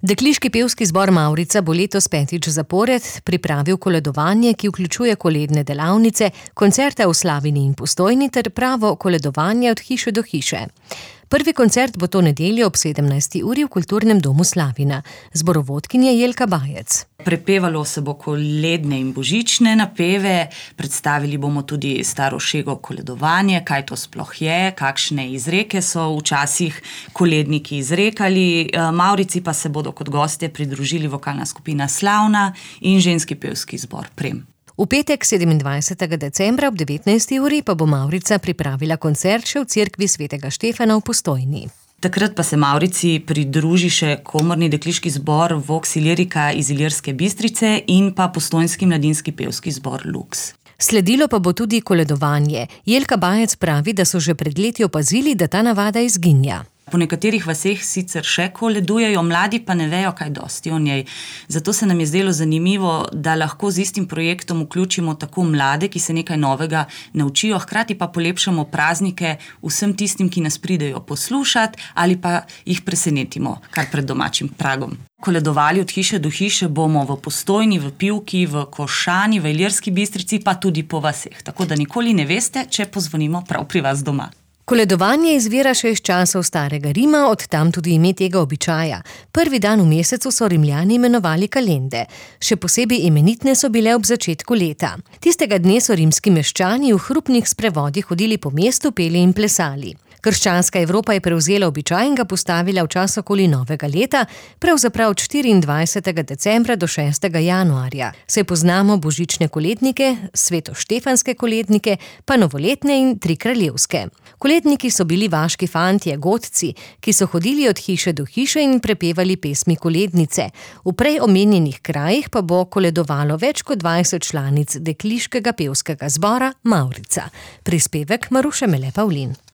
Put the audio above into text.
Dekliški pevski zbor Mavrica bo letos 5. zapored pripravil koledovanje, ki vključuje koledne delavnice, koncerte v Slavini in Postojni ter pravo koledovanje od hiše do hiše. Prvi koncert bo to nedeljo ob 17. uri v Kulturnem domu Slavina. Zborovodkinja Jelka Bajec. Prepevalo se bo koledne in božične napeve, predstavili bomo tudi staro šego koledovanje, kaj to sploh je, kakšne izreke so včasih koledniki izrekali. Mavrici pa se bodo kot gostje pridružili vokalna skupina Slavna in ženski pevski zbor Prem. V petek 27. decembra ob 19. uri pa bo Mavrica pripravila koncert še v cerkvi svetega Štefana v Postojni. Takrat pa se Mavrici pridruži še komorni dekliški zbor Vox Ilirika iz Ilirske Bistrice in pa postojnski mladinski pevski zbor Lux. Sledilo pa bo tudi koledovanje. Jelka Bajec pravi, da so že pred leti opazili, da ta navada izginja. Po nekaterih vaseh sicer še koledujejo, mladi pa ne vejo kaj dosti o njej. Zato se nam je zdelo zanimivo, da lahko z istim projektom vključimo tako mlade, ki se nekaj novega naučijo, hkrati pa polepšamo praznike vsem tistim, ki nas pridejo poslušati ali pa jih presenetimo kar pred domačim pragom. Koledovali od hiše do hiše bomo v Postojni, v Pivki, v Košani, v Ilirski Bistrici, pa tudi po vaseh. Tako da nikoli ne veste, če pozvonimo prav pri vas doma. Koledovanje izvira še iz časov starega Rima, od tam tudi ime tega običaja. Prvi dan v mesecu so Rimljani imenovali kalende. Še posebej imenitne so bile ob začetku leta. Tistega dne so rimski meščani v hrupnih sprevodih hodili po mestu, peli in plesali. Krščanska Evropa je prevzela običaj in ga postavila v čas okoli novega leta, pravzaprav od 24. decembra do 6. januarja. Se poznamo božične kolednike, svetoštefanske kolednike, pa novoletne in trikraljevske. Koledniki so bili vaški fantje, godci, ki so hodili od hiše do hiše in prepevali pesmi kolednice. V prej omenjenih krajih pa bo koledovalo več kot 20 članic dekliškega pevskega zbora Mavrica. Prispevek Maruše Mele Pavlin.